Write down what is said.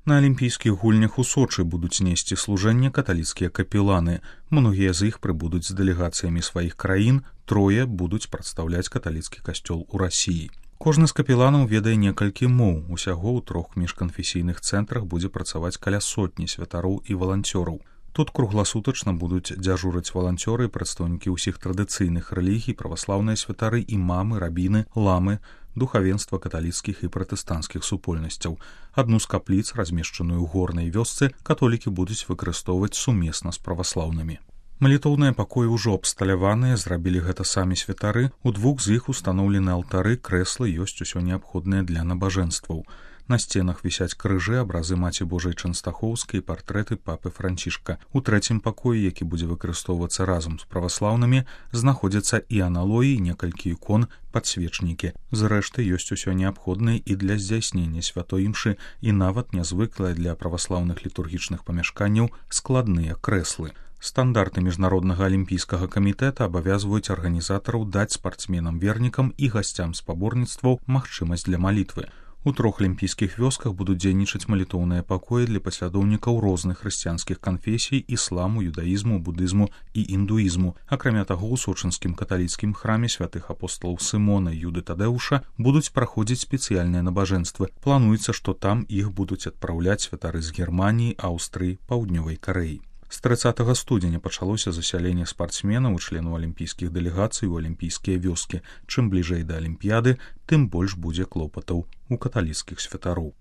На алімпійскіх гульнях у Сочы будуць несці служэнне каталіцкія капеланы. Многія з іх прыбудуць з дэлегацыямі сваіх краін, 3 будуць прадстаўляць каталіцкі касцёл у Расіі. Кожны з капеланаў ведае некалькі моў. Усяго ў 3 міжканфесійных цэнтрах будзе працаваць каля 100 святароў і валанцёраў. Тут кругласутачна будуць дзяжурыць валанцёры і прадстаўнікі ўсіх традыцыйных рэлігій, праваслаўныя святары, імамы, рабіны, ламы, духавенства каталіцкіх і пратэстанцкіх супольнасцяў. Адну з капліц, размешчаную ў горнай вёсцы, католікі будуць выкарыстоўваць сумесна з праваслаўнымі. Малітоўныя пакоі ўжо абсталяваныя, зрабілі гэта самі святары. У 2 з іх устаноўлены алтары, крэслы, ёсць усё неабходнае для набажэнстваў. На сценах вісяць крыжы, абразы Маці Божай Чэнстахоўскай і партрэты папы Францішка. У 3 пакоі, які будзе выкарыстоўвацца разам з праваслаўнымі, знаходзяцца і аналоі, некалькі ікон, падсвечнікі. Зрэшты, ёсць усё неабходнае і для здзяйснення святой імшы, і нават нязвыклыя для праваслаўных літургічных памяшканняў складныя крэслы. Стандарты міжнароднага алімпійскага камітэта абавязваюць арганізатараў даць спартсменам-вернікам і гасцям спаборніцтваў магчымасць для малітвы. У 3 алімпійскіх вёсках будуць дзейнічаць малітоўныя пакоі для паслядоўнікаў розных хрысціянскіх канфесій, ісламу, юдаізму, будызму і індуізму. Акрамя таго, у сочынскім каталіцкім храме святых апосталаў Сымона і Юды Тадэуша будуць праходзіць спецыяльныя набажэнствы. Плануецца, што там іх будуць адпраўляць святары з Германіі, Аўстрыі, Паўднёвай Карэі. З 30 студзеня пачалося засяленне спартсменаў і членаў алімпійскіх дэлегацый у алімпійскія вёскі. Чым бліжэй да алімпіяды, тым больш будзе клопатаў у каталіцкіх святароў.